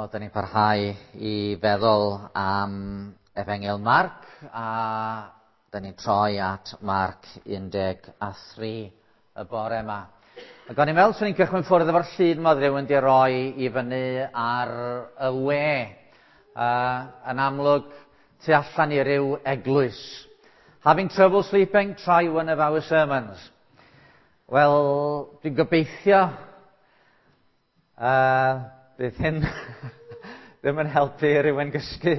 Wel, da ni'n parhau i feddwl am Efengyl Marc, a da ni'n troi at Marc 13 y bore yma. Ac o'n i'n meddwl swn i'n cychwyn ffwrdd efo'r llun ma oedd rhywun di roi i fyny ar y we. Yn amlwg, tu allan i ryw eglwys. Having trouble sleeping? Try one of our sermons. Wel, dwi'n gobeithio bydd hyn ddim yn helpu rhywun gysgu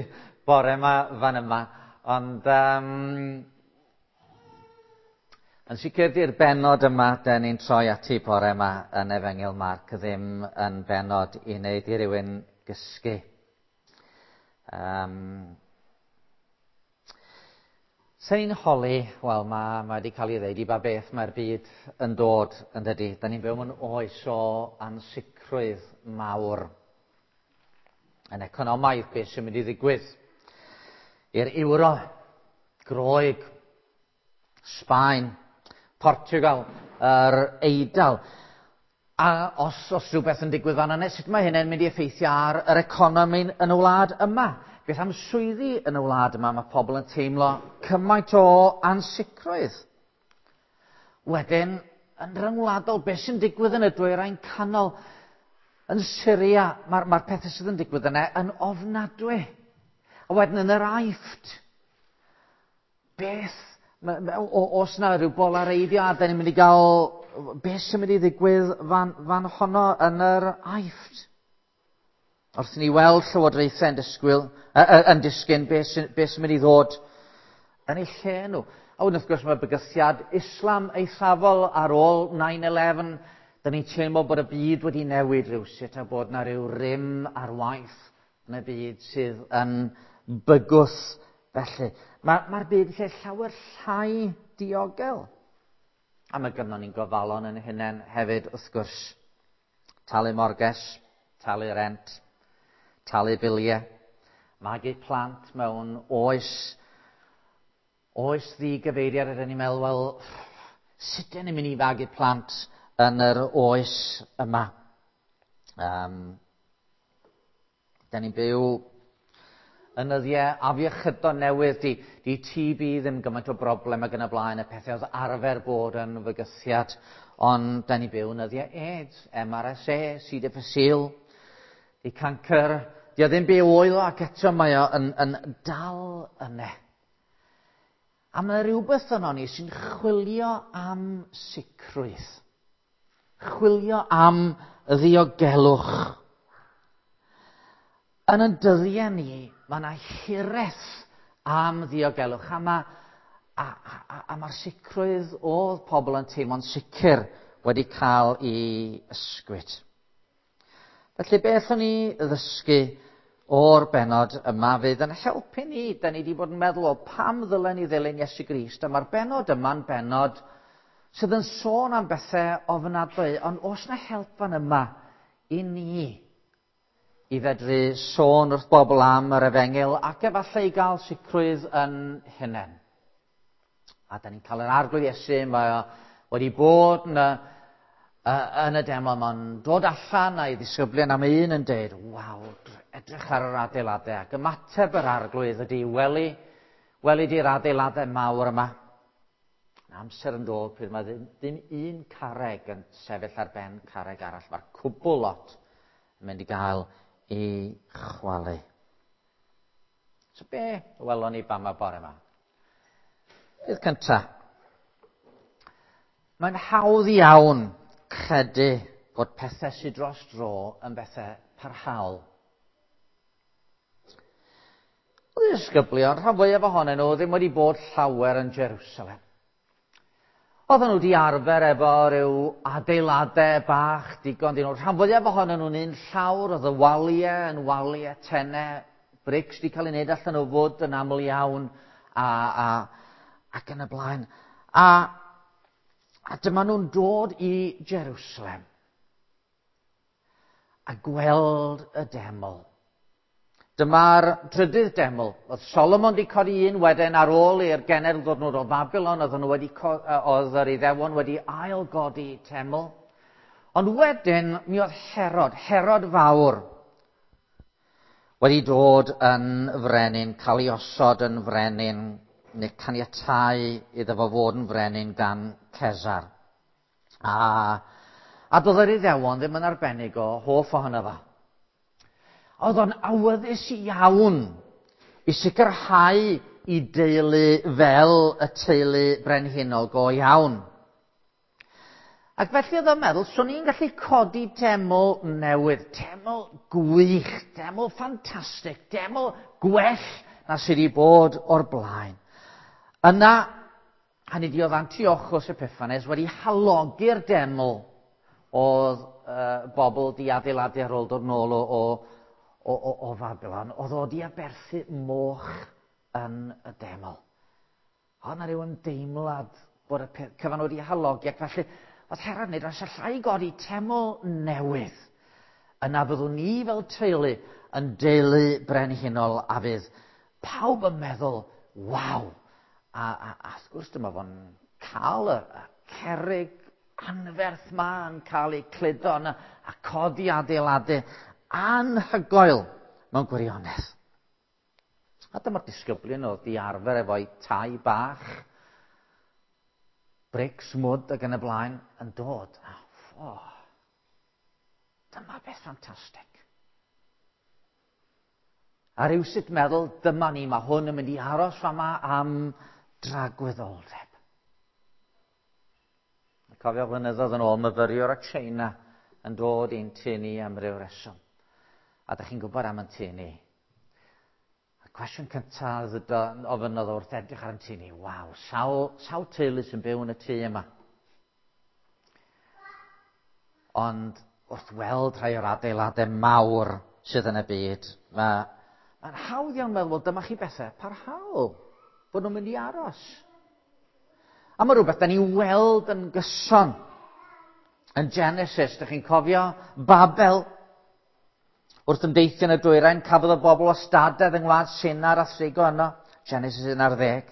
bore yma fan yma, ond yn sicr di'r bennod yma den ni'n troi ati bore yma yn Efengyl Marc ddim yn bennod i wneud i rywun gysgu. Sen ni'n holi, wel, mae wedi cael ei ddeud i ba beth mae'r byd yn dod, yn dydy. Da ni'n byw mewn oes o ansicrwydd mawr. Yn economaidd, beth sy'n mynd i ddigwydd? I'r euro, Groeg, Sbaen, Portugal, yr Eidal. A os rhywbeth yn digwydd fan yna, sut mae hynny'n mynd i effeithio ar yr economi yn y wlad yma? Beth am swyddi yn y wlad yma? Mae pobl yn teimlo cymaint o ansicrwydd. Wedyn, yn ryngwladol, beth sy'n digwydd yn y dwyrain canol? Yn Syria, mae'r pethau sydd yn digwydd yna yn ofnadwy. A wedyn yn yr Aifft, beth, os na rhyw bolareiddio, a da ni'n mynd i gael, beth sy'n mynd i ddigwydd fan honno yn yr Aifft? Wrth i ni weld llywodraethau yn disgyn, beth sy'n mynd i ddod yn eu lle nhw. A wedyn wrth gwrs mae bygythiad Islam eithafol ar ôl 9/11. Da ni'n teimlo bod y byd wedi newid rhywsut a bod na rhyw rym ar waith yn y byd sydd yn bygwth felly. Mae'r byd yn lle llawer llai diogel. A mae gynnon ni'n gofalon yn hunain hefyd wrth gwrs. Talu morges, talu rent, talu biliau, magu plant mewn oes ddigyfeiriad. Ydyn ni'n meddwl, wel, sut ydyn ni'n mynd i fagu plant yn yr oes yma? Da ni'n byw yn nyddiau afiechydon newydd, di TB ddim gymaint o broblem ag yn y blaen, y pethau oedd arfer bod yn fygythiad, ond da ni'n byw yn nyddiau AIDS, MRSA, C. difficile, di cancer, di o ddim byw oel ac eto mae o yn dal yna. A mae rhywbeth yno ni sy'n chwilio am sicrwydd, chwilio am ddiogelwch. Yn y dyddiau ni, mae yna hiraeth am ddiogelwch, a mae'r sicrwydd oedd pobl yn teimlo'n sicr wedi cael ei ysgwyd. Felly beth o'n i ddysgu o'r bennod yma fydd yn helpu ni? Da ni wedi bod yn meddwl o pam ddylen ni ddilyn Iesu Grist, a mae'r bennod yma'n bennod sydd yn sôn am bethau ofnadwy, ond oes na help fan yma i ni i fedru sôn wrth bobl am yr efengyl ac efallai i gael sicrwydd yn hunain. A da ni'n cael yr Arglwydd Iesu, mae o wedi bod yn y deml, mae'n dod allan a'i ddisgyblion am un yn deud, waw, edrych ar yr adeiladau, ac ymateb yr Arglwydd ydy, weli di'r adeiladau mawr yma. Amser yn dod pryd mae ddim un carreg yn sefyll ar ben carreg arall, mae'r cwbl lot yn mynd i gael ei chwalu. So be welon ni bama bore yma? Peth cynta. Mae'n hawdd iawn credu bod pethau sydd dros dro yn bethau parhaol. Oedd y disgyblion, rhan fwyaf ohonyn nhw, ddim wedi bod llawer yn Jerusalem. Oedden nhw wedi arfer efo rhyw adeiladau bach digon dyn nhw. Rhan fwyaf ohonyn nhw'n un llawr, oedd y waliau yn waliau tenau, brics wedi cael ei wneud allan o fwd yn aml iawn ac yn y blaen. A dyma nhw'n dod i Jerusalem a gweld y deml. Dyma'r trydydd deml. Oedd Solomon wedi codi un wedyn ar ôl i'r genedl ddod nhw o Babylon, oedd yr Iddewon wedi ailgodi teml. Ond wedyn mi oedd Herod, Herod Fawr. wedi dod yn frenin, cael ei osod yn frenin, neu caniatáu iddo fo fod yn frenin gan Cesar. A doedd yr Iddewon ddim yn arbennig o hoff ohono fo. Oedd o'n awyddus iawn i sicrhau i deulu fel y teulu brenhinol go iawn. Ac felly oedd o'n meddwl, swn i'n gallu codi teml newydd, teml gwych, teml ffantastig, teml gwell na sydd wedi bod o'r blaen. Yna, hynny di oedd Antiochus Epiphanes wedi halogi'r deml oedd bobl di adeiladu ar ôl dod nôl o Fabilon, oedd o di aberthu moch yn y deml. Oedd yna rhyw ymdeimlad bod y peth cyfan wedi halogi, ac felly oedd Herod yn dweud, os allai godi teml newydd, yna byddwn ni fel teulu yn deulu brenhinol a fydd pawb yn meddwl, waw. A wrth gwrs dyma fo'n cael y cerrig anferth ma yn cael ei cludo yna a codi adeiladu anhygoel mewn gwirionedd. A dyma'r disgyblion oedd di arfer efo'i tai bach, brics, mwd ac yn y blaen yn dod. A, dyma beth ffantastig. A rhywsut meddwl, dyma ni, mae hwn yn mynd i aros fama am dragwyddoldeb. Cofio flynyddoedd yn ôl, myfyriwr o China yn dod i'n tŷ ni am ryw reswm. A dych chi'n gwybod am yn tŷ ni. Y cwestiwn cyntaf ofynnodd wrth edrych ar yn tŷ ni, waw, sawl teulu sy'n byw yn y tŷ yma. Ond wrth weld rhai o'r adeiladau mawr sydd yn y byd, mae'n hawdd iawn meddwl, wel, dyma chi bethau parhaol, bod nhw'n mynd i aros. A mae rhywbeth da ni'n weld yn gyson. Yn Genesis, dych chi'n cofio Babel? Wrth ymdeithio yn y dwyrain, cafodd y bobl wastadedd yng ngwlad Sinar a thrigo yno. Genesis 11.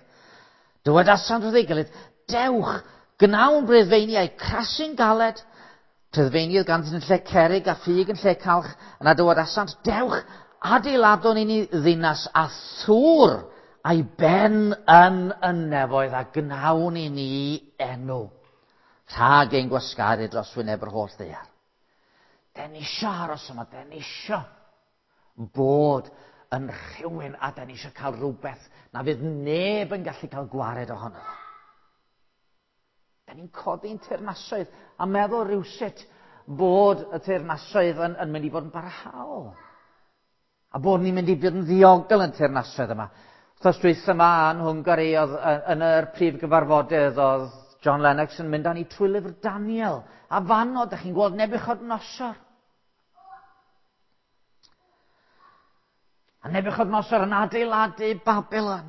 Dywedasant wrth ei gilydd, dewch, gnawn breddfeiniau crasu'n galed. Preddfeiniau ganddynt yn lle cerrig a ffug yn lle calch. Yna dywedasant, dewch, adeiladwn i ni ddinas a thŵr a'i ben yn y nefoedd a gnawn i ni enw. Rhag ein gwasgaru dros wyneb yr holl ddaear. Den ni isio aros yma, den ni isio bod yn rhywun a den ni isio cael rhywbeth na fydd neb yn gallu cael gwared ohono fo. Den ni'n codi'n teyrnasoedd a meddwl rhywsut bod y teyrnasoedd yn mynd i fod yn barhaol. A bod ni'n mynd i fod yn ddiogel yn teyrnasoedd yma. Wrth dwytha yma yn Hwngari, oedd yn yr prif gyfarfodydd oedd John Lennox yn mynd â ni trwy lyfr Daniel. A fanno, dych chi'n gweld Nebuchadnezzar. A Nebuchadnezzar yn adeiladu Babylon.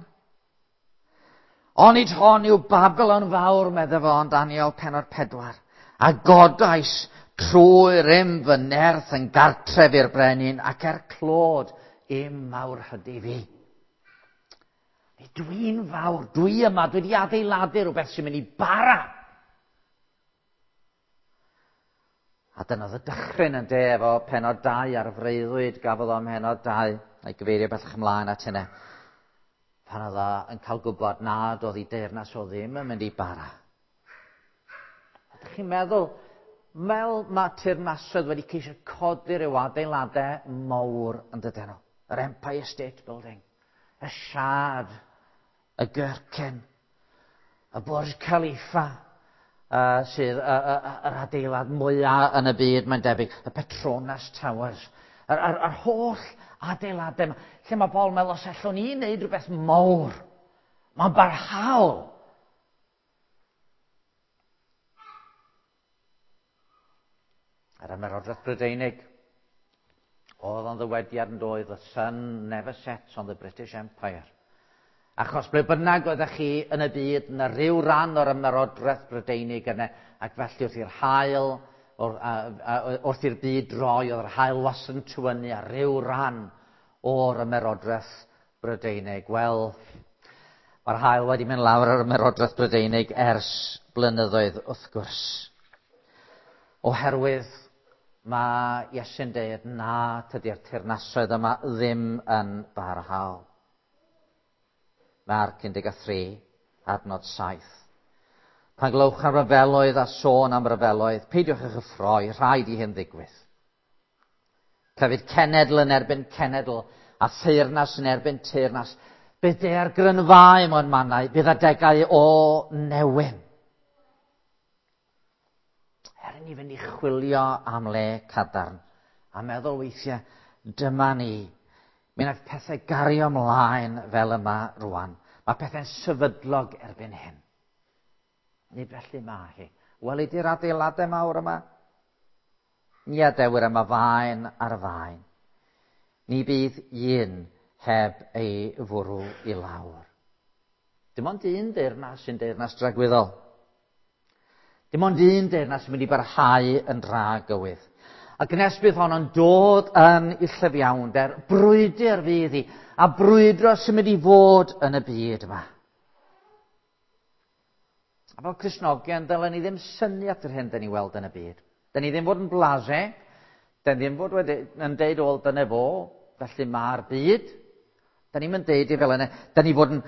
Onid hon yw Babylon fawr, medde fo yn Daniel pennod 4. A godais trwy rym fy nerth yn gartref i'r brenin ac er clod i'm mawr hydi fi. Dwi'n fawr, dwi yma, dwi wedi adeiladu rhywbeth sy'n mynd i bara. A dyna oedd y dychryn yn de efo pennod 2 ar y freuddwyd gafodd o ym mhennod 2, a'i gyfeirio bellach ymlaen at hynny. Pan oedd o yn cael gwybod nad oedd ei deyrnas o ddim yn mynd i bara. Ydych chi'n meddwl, fel mae teyrnasoedd wedi ceisio codi rhyw adeiladau mawr yn dydyn nhw? Yr Empire State Building, y Shard, y Gherkin, y Burj Khalifa, sydd yr adeilad mwyaf yn y byd, mae'n debyg, y Petronas Towers, yr holl adeiladau yma, lle mae bobl yn meddwl, os allwn ni wneud rhywbeth mawr, mae'n barhaol. Yr Ymerodraeth Brydeinig, oedd o'n ddywediad yn doedd, the sun never sets on the British Empire. Achos ble bynnag oeddech chi yn y byd, na rhyw ran o'r Ymerodraeth Brydeinig yna, ac felly wrth i'r haul, wrth i'r byd droi, oedd yr haul wastad yn tywynnu ar ryw ran o'r Ymerodraeth Brydeinig. Wel, mae'r haul wedi mynd lawr ar Ymerodraeth Brydeinig ers blynyddoedd, wrth gwrs. Oherwydd Mae Iesu'n deud na, tydi'r teyrnasoedd yma ddim yn barhaol. Marc 13, adnod 7. Pan glywch am ryfeloedd a sôn am ryfeloedd, peidiwch â chyffroi, rhaid i hyn ddigwydd. Clefyd cenedl yn erbyn cenedl, a theyrnas yn erbyn teyrnas. Bydd daeargrynfâu mewn mannau, bydd adegau o newyn. Er i ni fynd i chwilio am le cadarn, a meddwl weithiau, dyma ni. Mi wnaeth pethau gario ymlaen fel yma rwan. Mae pethau'n sefydlog erbyn hyn. Nid felly mae hi. Weli di'r adeiladau mawr yma? Ni adewir yma faen ar faen. Ni bydd un heb ei fwrw i lawr. Dim ond un deyrnas sy'n deyrnas dragwyddol. Dim ond un deyrnas sy'n mynd i barhau yn dragywydd. Ac nes bydd honno'n dod yn ei llyfiawnder, brwydr fydd hi, a brwydro sy'n mynd i fod yn y byd yma. A fel Cristnogion, dylen ni ddim synnu at yr hyn dyn ni weld yn y byd. Dyn ni ddim fod yn blasé, dyn ni ddim fod wedi, yn deud, wel, dyna fo, felly mae'r byd. Dyn ni'n deud i fel yna, dyn ni fod yn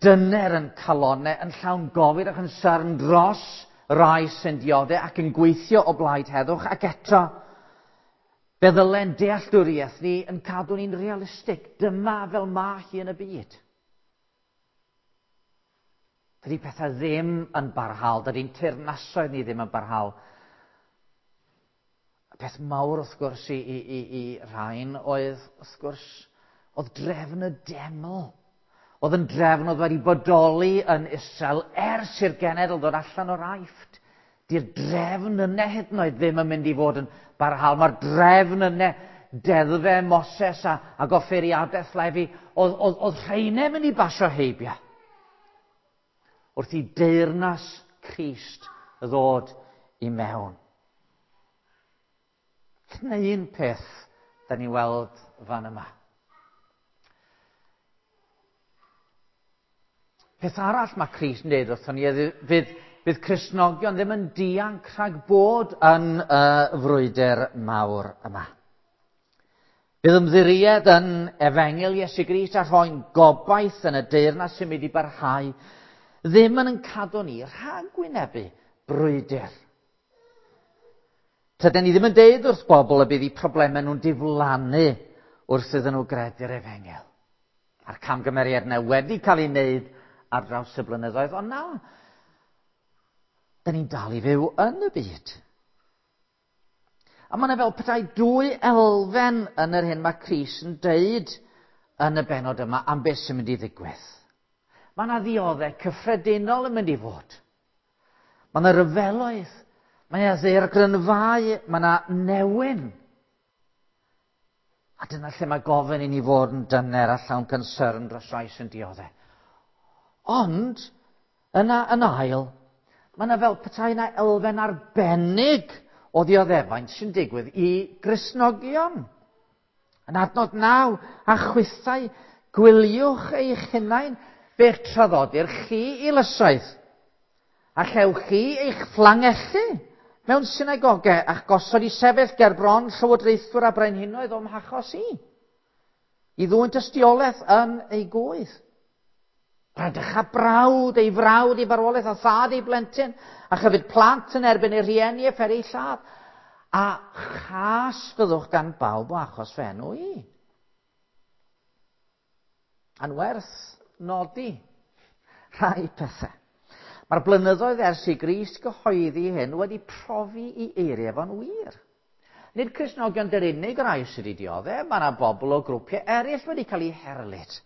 dyner yn calonau, yn llawn gofid ac yn syrn dros rai sy'n dioddef ac yn gweithio o blaid heddwch, ac eto, fe ddylen dealltwriaeth ni yn cadw ni'n realistig. Dyma fel mae hi yn y byd. Dydy pethau ddim yn barhaol, dydy'n teyrnasoedd ni ddim yn barhaol. Y peth mawr wrth gwrs i, i, i, i rhain oedd, wrth gwrs, oedd drefn y deml. Oedd yn drefn oedd wedi bodoli yn Israel ers i'r genedl ddod allan o'r Aifft. Di'r drefn yna hyd yn oed ddim yn mynd i fod yn barhaol. Mae'r drefn yna, deddfau Moses a, a goffeiriadaeth Lefi, oedd, oedd, oedd rheinau mynd i basio heibio. Wrth i deyrnas Crist ddod i mewn. Dyna un peth da ni weld fan yma. Peth arall mae Crist yn dweud wrthon ni fydd, fydd Cristnogion ddim yn dianc rhag bod yn y frwydr mawr yma. Bydd ymddiried yn efengyl Iesu Grist a rhoi'n gobaith yn y deyrnas sy'n mynd i barhau ddim yn yn cadw ni rhag gwynebu brwydr. Tydyn ni ddim yn deud wrth bobl y bydd eu problemau nhw'n diflannu wrth iddyn nhw gredu'r efengyl. A'r camgymeriad yna wedi cael ei wneud ar draws y blynyddoedd, ond na, dyn ni'n dal i fyw yn y byd. A mae yna fel petai dwy elfen yn yr hyn mae Crist yn deud yn y benod yma am beth sy'n mynd i ddigwydd. Mae yna ddioddau cyffredinol yn mynd i fod. Mae yna ryfeloedd, mae yna ddaeargrynfâu, mae yna newyn. A dyna lle mae gofyn i ni fod yn dyner a llawn concern dros rai sy'n dioddau. Ond, yna yn ail, mae yna fel petai yna elfen arbennig o ddioddefaint sy'n digwydd i Gristnogion. Yn adnod 9, a chwithau, gwyliwch eich hunain, fe'ch traddodir chi i lysoedd, a chewch chi eich fflangellu mewn synagogau a'ch gosod i sefyll ger bron llywodraethwyr a brenhinoedd o'm hachos i, i ddwyn tystiolaeth yn ei gwydd. Bradycha brawd ei frawd i farwolaeth a thad ei blentyn, a chyfyd plant yn erbyn ei rhieni a pheri lladd. A chas fyddwch gan bawb o achos fy enw i. A'n werth nodi rhai pethau. Mae'r blynyddoedd ers i Grist gyhoeddi hyn wedi profi i eiriau fo'n wir. Nid Cristnogion dy'r unig rai sydd wedi dioddef, mae yna bobl o grwpiau eraill wedi cael eu herlid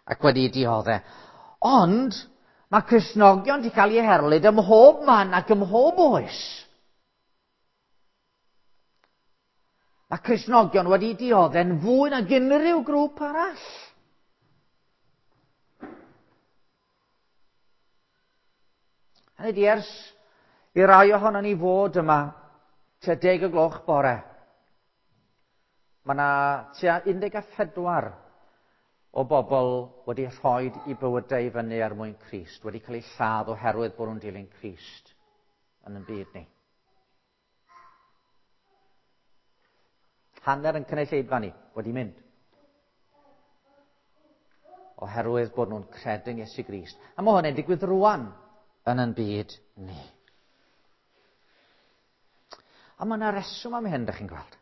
ac wedi dioddef. Ond mae Cristnogion wedi cael eu herlid ym mhob man ac ym mhob oes. Mae Cristnogion wedi dioddef'n fwy nag unrhyw grŵp arall. Hynny di ers i rai ohono ni fod yma tua 10 o gloch bore. Mae yna tua 14 o bobl wedi rhoi i bywydau i fyny er mwyn Crist, wedi cael eu lladd oherwydd bod nhw'n dilyn Crist yn y byd ni. Hanner yn cynulleidfa ni wedi mynd. Oherwydd bod nhw'n credu'n Iesu Grist. A mae hwnna'n digwydd rwan yn yn byd ni. A mae yna reswm am hyn, ydych chi'n gweld.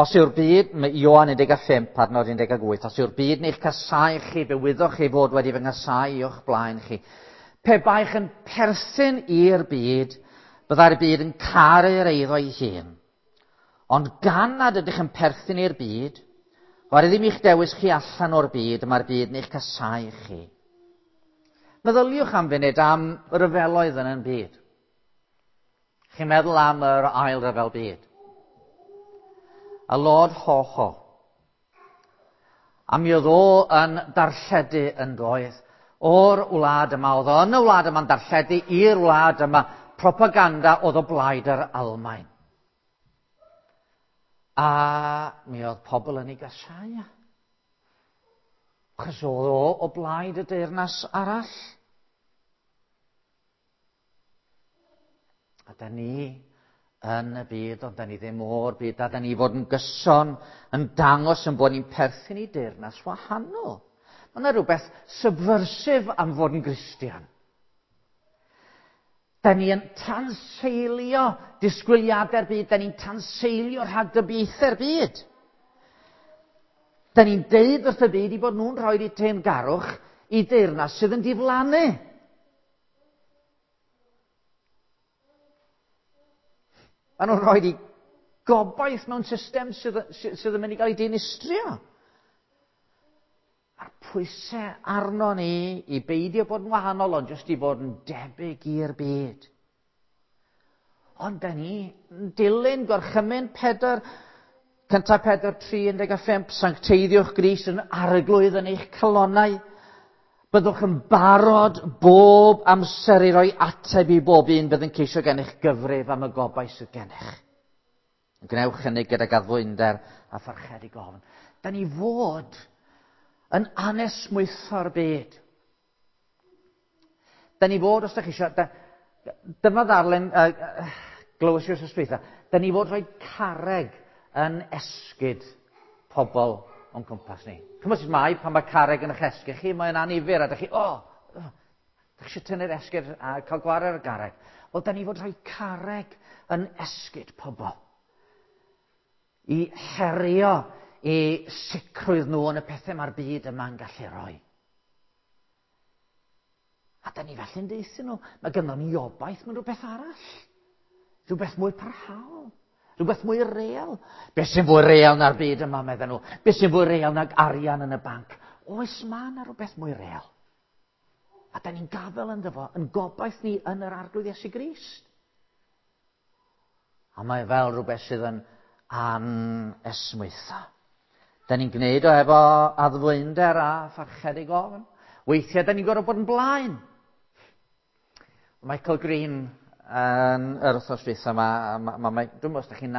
Os yw'r byd, mae Ioan 15, adnod 18, os yw'r byd yn eich casau chi, fe wyddoch chi fod wedi fy nghasau o'ch blaen chi. Pe baech yn perthyn i'r byd, byddai'r byd yn caru'r eiddo ei hun. Ond gan nad ydych yn perthyn i'r byd, oherwydd ddim i'ch dewis chi allan o'r byd, mae'r byd yn eich casau chi. Meddyliwch am funud am ryfeloedd yn yn byd. Chi'n meddwl am yr ail ryfel byd. Y Lord Ho-Ho. A mi oedd o yn darlledu yn doedd o'r wlad yma. Oedd o yn y wlad yma'n darlledu i'r wlad yma propaganda oedd o blaid yr Almaen. A mi oedd pobl yn ei gasau. Achos oedd o o blaid y deyrnas arall. A da ni yn y byd, ond da ni ddim o'r byd, a da ni fod yn gyson yn dangos yn bod ni'n perthyn i deyrnas wahanol. Mae yna rhywbeth subversive am fod yn Gristion. Da ni yn tanseilio disgwyliadau'r byd, da ni'n tanseilio rhagdybiaethau'r byd. Da ni'n deud wrth y byd i bod nhw'n rhoi eu teyrngarwch i deyrnas sydd yn diflannu. Maen nhw'n rhoi i gobaith mewn system sydd, sydd yn mynd i gael ei dinistrio. A'r pwysau arno ni i beidio bod yn wahanol, ond jyst i fod yn debyg i'r byd. Ond da ni yn dilyn gorchymyn Pedr, cyntaf Pedr 3, 15, sancteiddiwch Grist yn arglwydd yn eich calonnau. Byddwch yn barod bob amser i roi ateb i bob un bydd yn ceisio gennych gyfrif am y gobaith sydd gennych. Gwnewch hynny gydag addfwynder a pharchedig ofn. Da ni fod yn anesmwytho'r byd. Da ni fod, os da chi eisiau, da, dyma ddarllen, glywys i wrth dwytha, da ni fod rhoi carreg yn esgid pobl o'n cwmpas ni. Chymod sut mae pan mae carreg yn eich esgid chi, mae'n annifyr a da chi, o, oh, da chi eisiau tynnu'r esgid a cael gwared ar y garreg. Wel, da ni fod rhoi carreg yn esgid pobl. I herio i sicrwydd nhw yn y pethau mae'r byd yma'n gallu rhoi. A da ni felly'n deutha nhw, mae gynnon ni obaith mewn rhywbeth arall. Rhywbeth mwy parhaol. Rhywbeth mwy real. Be sy'n fwy real na'r byd yma, medden nhw? Be sy'n fwy real nag arian yn y banc? Oes ma na rhywbeth mwy real. A da ni'n gafel ynddo fo, yn gobaith ni yn yr Arglwydd Iesu Grist. A mae fel rhywbeth sydd yn anesmwytho. Da ni'n gwneud o efo addfwynder a pharchedig ofn. Weithiau da ni'n gorfod bod yn blaen. Michael Green yn yr wythnos dwytha yma, ma, ma, ma, dwi'n meddwl os da chi'n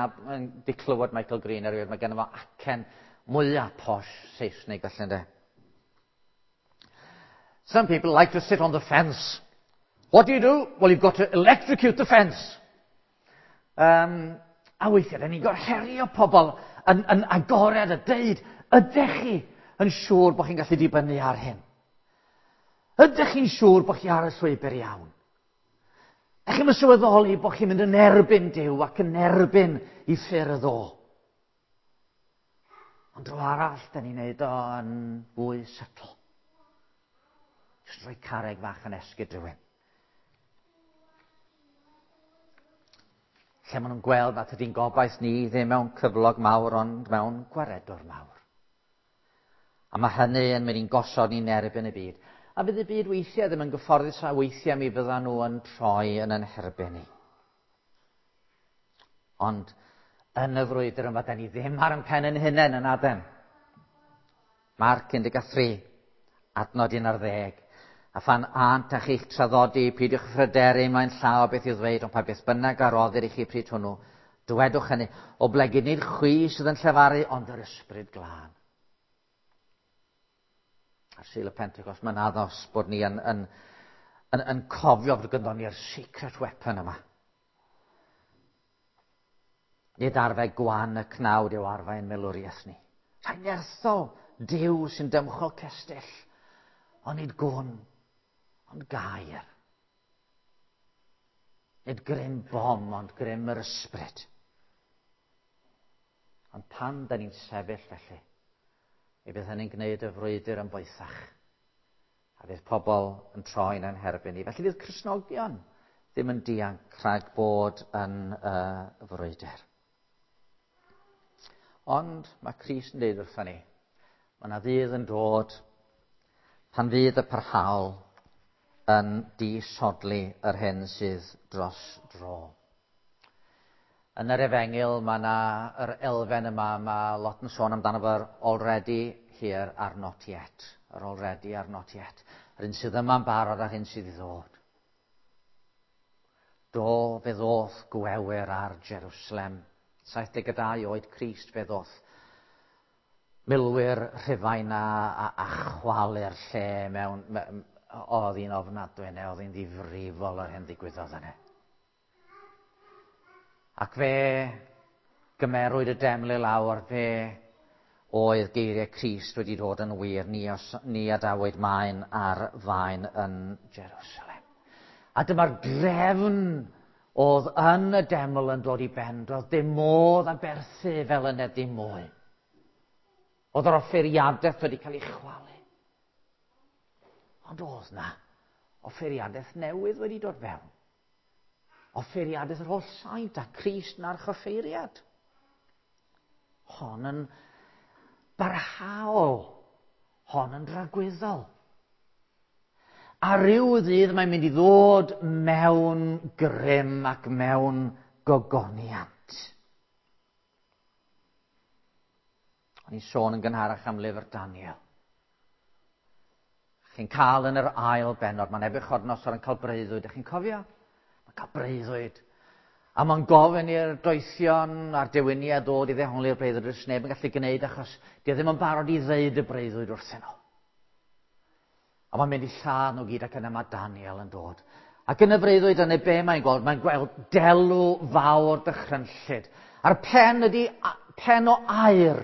di clywed Michael Green erioed, mae genno fo acen mwyaf posh Saesneg felly ynde. Some people like to sit on the fence. What do you do? Well, you've got to electrocute the fence. A weithiau, da ni'n gorfod herio pobl yn agored a deud, ydych chi yn siŵr bod chi'n gallu dibynnu ar hyn? Ydych chi'n siŵr bod chi ar y llwybr iawn? Ydych chi'n sylweddoli bod chi'n mynd yn erbyn Duw ac yn erbyn i ffyrdd o? Ond dro arall, da ni'n neud o yn fwy subtle. Jyst rhoi carreg fach yn esgid rhywun. Lle maen nhw'n gweld nad ydy'n gobaith ni ddim mewn cyflog mawr, ond mewn gwaredwr mawr. A mae hynny yn mynd i'n gosod ni'n erbyn y byd. A fydd y byd weithiau ddim yn gyfforddus a weithiau mi fyddan nhw yn troi yn yn herbyn ni. Ond yn y frwydr yma, da ni ddim ar yn pen yn hunain yn adem. Marc 13, adnod 11. A phan ânt â chi'ch traddodi, peidiwch phryderu mae'n llaw beth i'w ddweud, ond pa beth bynnag a roddir i chi pryd hwnnw, dywedwch hynny, oblegid nid chwi sydd yn llefaru, ond yr ysbryd glân. Ar Sul y Pentecost, mae'n addos bod ni yn cofio fod gynddon ni'r secret weapon yma. Nid arfau gwan y cnawd yw arfau yn milwriaeth ni. Rhai nerthol Duw sy'n dymchwel cestyll, ond nid gwn, ond gair. Nid grym bom, ond grym yr ysbryd. Ond pan da ni'n sefyll felly, mi fydd hynny'n gwneud y frwydr yn boethach. A fydd pobl yn troi'n ein herbyn ni. Felly fydd Cristnogion ddim yn dianc rhag bod yn y frwydr. Ond mae Crist yn dweud wrthon ni, mae yna ddydd yn dod pan fydd y parhaol yn disodli yr hyn sydd dros dro. Yn yr efengyl mae yna yr elfen yma, mae lot yn sôn amdano fo'r already here a'r not yet. Yr already a'r not yet. Yr hyn sydd yma'n barod a'r hyn sydd i ddod. Do, fe ddoth gwewyr ar Jerusalem. 72 oed Crist fe ddoth milwyr Rhufain a chwalu'r lle mewn. Oedd hi'n ofnadwy neu oedd hi'n ddifrifol yr hyn ddigwyddodd yna. Ac fe gymerwyd y deml i lawr, fe oedd geiriau Crist wedi dod yn wir, ni adawyd maen ar faen yn Jerusalem. A dyma'r drefn oedd yn y deml yn dod i ben, doedd dim modd aberthu fel yna dim mwy. Oedd yr offeiriadaeth wedi cael ei chwalu. Ond oedd na offeiriadaeth newydd wedi dod fewn. Offeiriadaeth yr holl saint a Crist yn archoffeiriad. Hon yn barhaol. Hon yn dragwyddol. A ryw ddydd mae'n mynd i ddod mewn grym ac mewn gogoniant. O'n i'n sôn yn gynharach am lyfr Daniel. Chi'n cael yn yr ail bennod, mae Nebuchadnezzar yn cael breuddwyd. Ydych chi'n cofio? Mae'n cael breuddwyd. A mae'n gofyn i'r doethion a'r dewiniau ddod i ddehongli'r breuddwyd. Does neb yn gallu gwneud achos di o ddim yn barod i ddeud y breuddwyd wrthyn nhw. A mae'n mynd i lladd nhw gyd ac yna mae Daniel yn dod. Ac yn y freuddwyd yna be mae'n gweld? Mae'n gweld delw fawr dychrynllyd. A'r pen ydy pen o aur.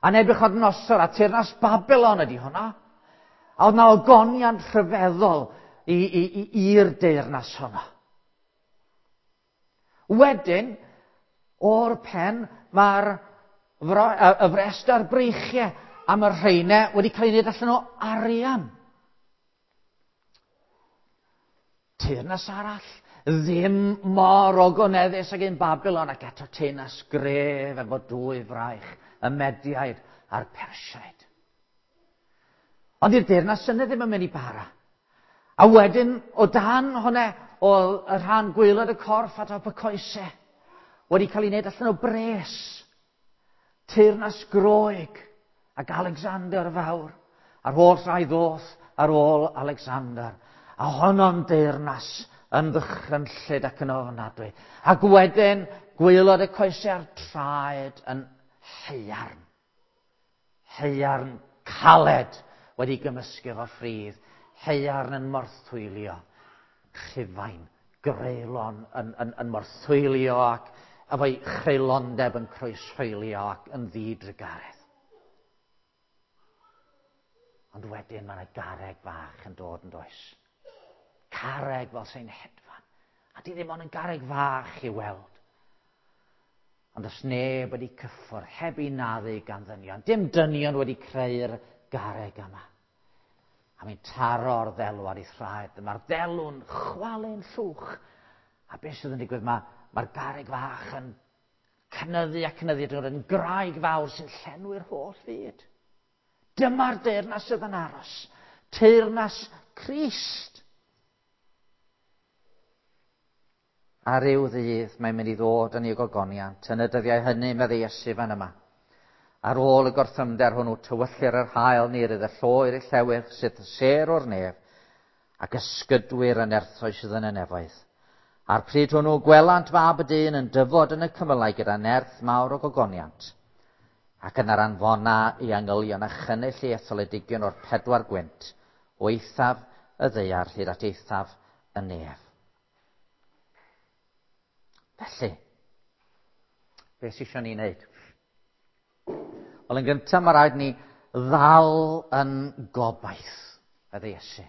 A Nebuchadnezzar a teyrnas Babylon ydy hwnna. A oedd na ogoniant rhyfeddol i'r deyrnas honno. Wedyn, o'r pen, mae'r y frest a'r breichiau am y rheinau wedi cael ei wneud allan o arian. Teyrnas arall, ddim mor ogoneddus ag un Babylon, ac eto teyrnas gref efo dwy fraich, y Mediaid a'r Persiaid. Ond i'r deyrnas yna ddim yn mynd i bara. A wedyn, o dan hwnna, o y rhan gwaelod y corff a top y coesau, wedi cael ei wneud allan o bres. Teyrnas Groeg ac Alexander Fawr, a'r holl rai ddoth ar ôl Alexander. A honno'n deyrnas yn ddychrynllyd ac yn ofnadwy. Ac wedyn, gwaelod y coesau a'r traed yn haearn. Haearn caled wedi gymysgu efo ffridd. Haearn yn morthwylio. Rhufain, greulon yn morthwylio ac efo'i chreulondeb yn croeshoelio ac yn ddidrugaredd. Ond wedyn mae yna garreg fach yn dod yn does. Carreg fel sy'n hedfan. A di ddim ond yn garreg fach i weld. Ond os neb wedi cyffwrdd, heb ei naddu gan ddynion. Dim dynion wedi creu'r garreg yma. A mae'n taro'r ddelw ar ei thraed. Mae'r ddelw'n chwalu'n llwch. A beth sydd yn digwydd? Mae'r garreg fach yn cynyddu a cynyddu. Dwi'n yn graig fawr sy'n llenwi'r holl fyd. Dyma'r deyrnas sydd yn aros. Teyrnas Crist. A ryw ddydd mae'n mynd i ddod yn ei gogoniant. Yn y dyddiau hynny, meddai Iesu fan yma. Ar ôl y gorthrymder hwnnw, tywyllir yr haul ni rydd y lloer i'r llewyrch sydd sêr o'r nef, ac ysgydwyr y nerthau sydd yn y nefoedd. A'r pryd hwnnw gwelant fab y dyn yn dyfod yn y cymylau gyda nerth mawr o gogoniant. Ac yna'r anfona i angylion a chynnull ei etholedigion o'r pedwar gwynt, o eithaf y ddaear hyd at eithaf y nef. Felly, Be sy'n eisiau ni wneud? Wel, yn gyntaf, mae rhaid ni ddal yn gobaith, meddai Iesu.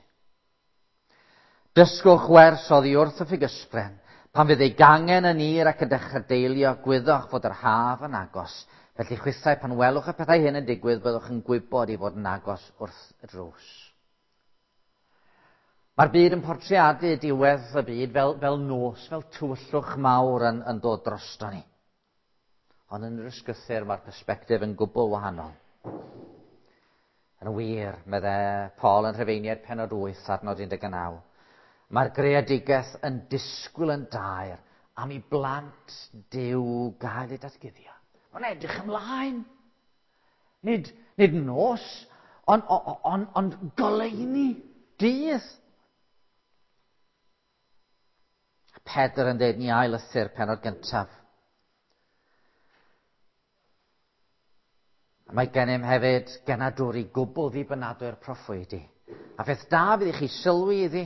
Dysgwch wers oddi wrth y ffigysbren. Pan fydd ei gangen yn ir ac yn dechrau deilio, gwyddwch fod yr haf yn agos. Felly chwithau, pan welwch y pethau hyn yn digwydd, byddwch yn gwybod ei fod yn agos wrth y drws. Mae'r byd yn portreadu diwedd y byd fel nos, fel tywyllwch mawr yn dod drosto ni. Ond yn yr ysgrythur mae'r persbectif yn gwbl wahanol. Yn wir, medde Paul yn Rhufeiniaid pennod 8, adnod 19, mae'r greadigaeth yn disgwyl yn daer am i blant Duw gael eu datguddio. Mae'n edrych ymlaen. Nid nos, ond goleuni, dydd. Pedr yn dweud ni ail lythyr pennod gyntaf. A mae gennym hefyd genadwri gwbl ddibynadwy'r proffwydi. A pheth da fydd i chi sylwi iddi,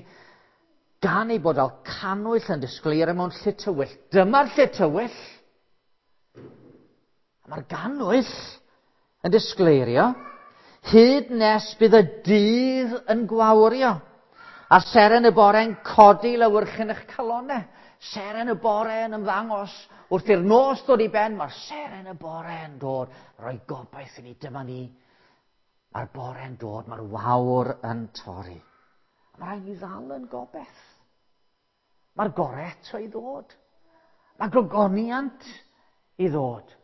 gan ei bod fel cannwyll yn disgleirio mewn lle tywyll. Dyma'r lle tywyll. A mae'r gannwyll yn disgleirio hyd nes bydd y dydd yn gwawrio. A seren y bore'n codi lewyrchyn eich calonau. Seren y bore yn ymddangos. Wrth i'r nos ddod i ben, mae'r seren y bore yn dod. Rhoi gobaith i ni, dyma ni. Mae'r bore'n dod, mae'r wawr yn torri. A mae rhaid ni ddal yn gobaith. Mae'r gore eto i ddod. Mae gogoniant i ddod.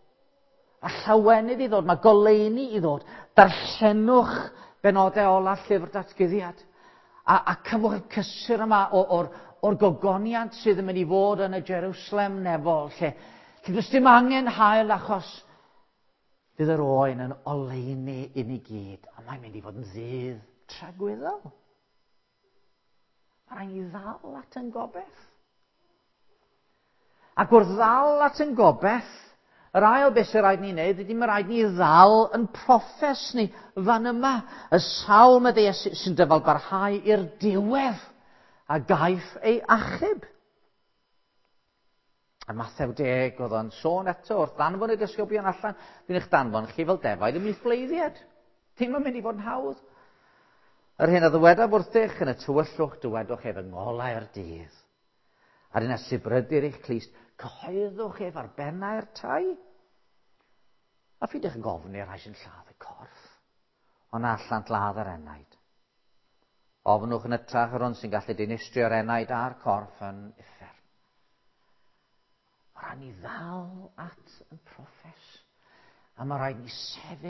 Mae llawenydd i ddod, mae goleuni i ddod. Darllenwch benodau ola llyfr datguddiad. A cyfwch y cysur yma o'r gogoniant sydd yn mynd i fod yn y Jerusalem nefol, lle does dim angen haul achos fydd yr oen yn oleuni i ni gyd, a mae'n mynd i fod yn ddydd tragwyddol. Mae rhaid ni ddal at yn gobaith. Ac wrth ddal at yn gobaith, yr ail beth sy'n rhaid ni wneud ydy mae rhaid ni ddal yn proffes ni fan yma. Y sawl meddai Iesu sy'n dyfal barhau i'r diwedd a gaiff ei achub. A Mathew 10 oedd o'n sôn eto wrth ddanfon y disgyblion allan, dwi'n eich danfon chi fel defaid ymhlith bleiddiaid. Ddim yn mynd i fod yn hawdd. Yr hyn a ddywedaf wrthych yn y tywyllwch, dywedwch ef yng ngolau'r dydd. A'r hyn a sibrydir eich clust, cyhoeddwch ef ar bennau'r tai. A pheidiwch yn gofyn i'r rhai sy'n lladd y corff, ond na allant ladd yr enaid. Ofnwch yn hytrach yr hwn sy'n gallu dinistrio'r enaid a'r corff yn uffern. Mae rhaid ni ddal at yn proffes, a mae rhaid ni sefyll.